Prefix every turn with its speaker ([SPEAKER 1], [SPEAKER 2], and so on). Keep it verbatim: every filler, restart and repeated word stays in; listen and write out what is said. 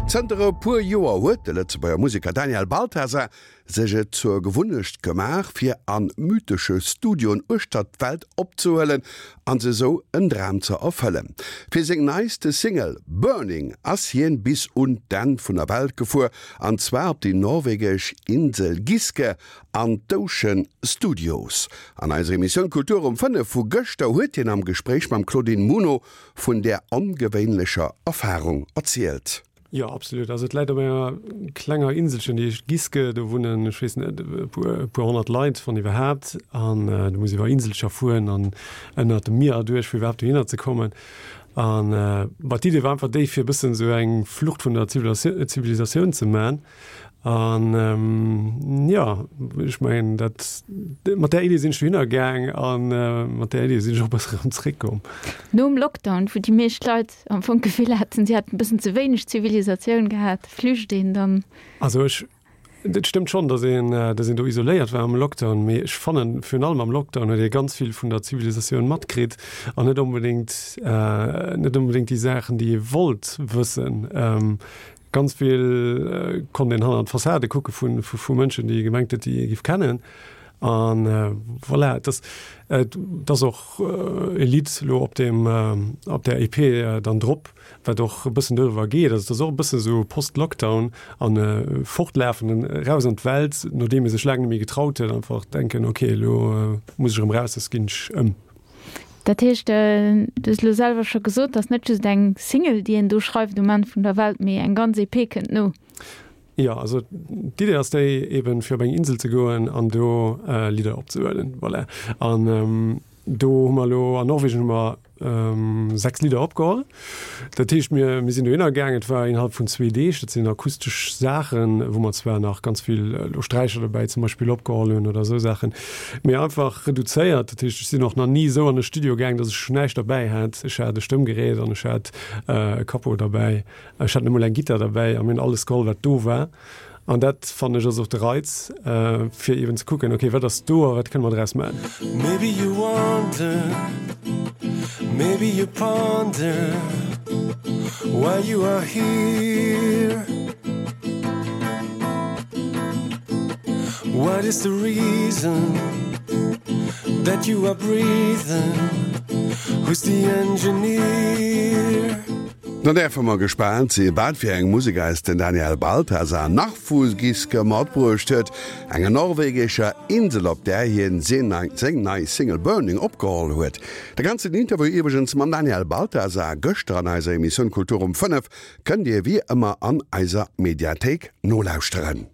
[SPEAKER 1] Zënter e puer Joer huet de Lëtzebuerger Museker Daniel Balthasar sech et zur Gewunnecht gemaach, fir a mythesche Studioen uechter d'Welt opzehuelen an sech esou en Dram ze erfëllen. Fir seng neiste Single Burning ass hien bis un d'Enn vun der Welt gefuer, an zwar op déi norwegesch Insel Giske an d'Ocean Studios. An eiser Emissioun Kultur um fënnef vu gëschter huet hien am Gespréich mam Claudine Muno vun där ongewéinlecher Erfarung erzielt.
[SPEAKER 2] Jo, absolut. Also et läit op enger klenger Inselchen, déi heescht Giske. Do wunnen, ech weess net, e puer, e puer honnert Leit, wann iwwerhaapt. An du muss iwwer Inselcher fueren an ënnert dem Mier erduerch, fir iwwerhaapt dohinner ze kommen. An bah, d'Idee war einfach déi, fir e bëssen esou eng Flucht vun der Zivilisatioun ze man. An jo, ech mengen dat, mat där Idee sinn ech dohinner gaang an mat där Idee sinn ech och e bësse erëm zréckkomm.
[SPEAKER 3] Nom Lockdown, wou déi meescht Leit am Fong d'Gefill haten, si hätten e bëssen ze wéineg Zivilisatioun gehat, flücht een dann?
[SPEAKER 2] Also ech, et stëmmt schonn, datt een, datt een do isoléiert war am Lockdown, mee ech fannen, virun allem am Lockdown huet ee ganz vill vun der Zivilisatioun matkritt an net onbedéngt, net onbedéngt déi Saachen, déi ee wollt wëssen. Ganz vill konnt een hannert d'Fassade kucke vu vu Mënschen, déi ee gemengt huet, déi ee giff kennen. An voilà, et ass, et ass och e Lidd elo op deem, op där E P dann drop, wat och e bëssen doriwwer geet. Also et ass och e bësse sou Post-Lockdown an fortlafen, eraus an d'Welt, nodeem ee sech laang net méi getraut huet, einfach denken, ok, elo muss ech erëm raus, soss ginn ech ëm.
[SPEAKER 3] Dat heescht, du hues elo selwer scho gesot, dass net just eng Single, déi een do schreift um Enn vun der Welt, mee eng ganz E P kënnt no.
[SPEAKER 2] Jo, also d'Idee ass déi, eben fir op eng Insel ze goen an do Lidder opzehuelen. Voilà. An do hu mer elo, an Norwegen hu mer sechs Lidder opgeholl. Dat heescht, mir, mir sinn dohinner gaangen, et war innerhalb vun zwee Deeg, dat sinn akustesch Saachen, wou mer zwar nach ganz vill elo Sträicher dobäi zum Beispill opgeholl hunn oder esou Saachen, mee einfach reduzéiert. Dat heescht, ech sinn och nach ni esou an e Studio gaang, datt ech näischt derbäi hat. Ech hat e Stëmmgerät an ech hat e Capo derbäi. Ech hat net emol eng Gittar derbäi a mir hunn alles geholl, wat do war. An dat, fannen ech, ass och de Reiz, fir eeben ze kucken, okay, wat ass do a wat kënne mer draus maachen.
[SPEAKER 4] Maybe you wonder, maybe you ponder why you are here. What is the reason that you are breathing? Who's the engineer?
[SPEAKER 1] Dann däerfe mer gespaant si wat fir eng Musek eis den Daniel Balthasar nach vu Giske matbruecht huet, enger norwegescher Insel op där hien seng nei Single Burning opgeholl huet. De ganzen Interview iwwregens mam Daniel Balthasar gëschter an eiser Emissioun Kultur um fënnef kënnt Dir wéi ëmmer an eiser Mediathéik nolauschteren.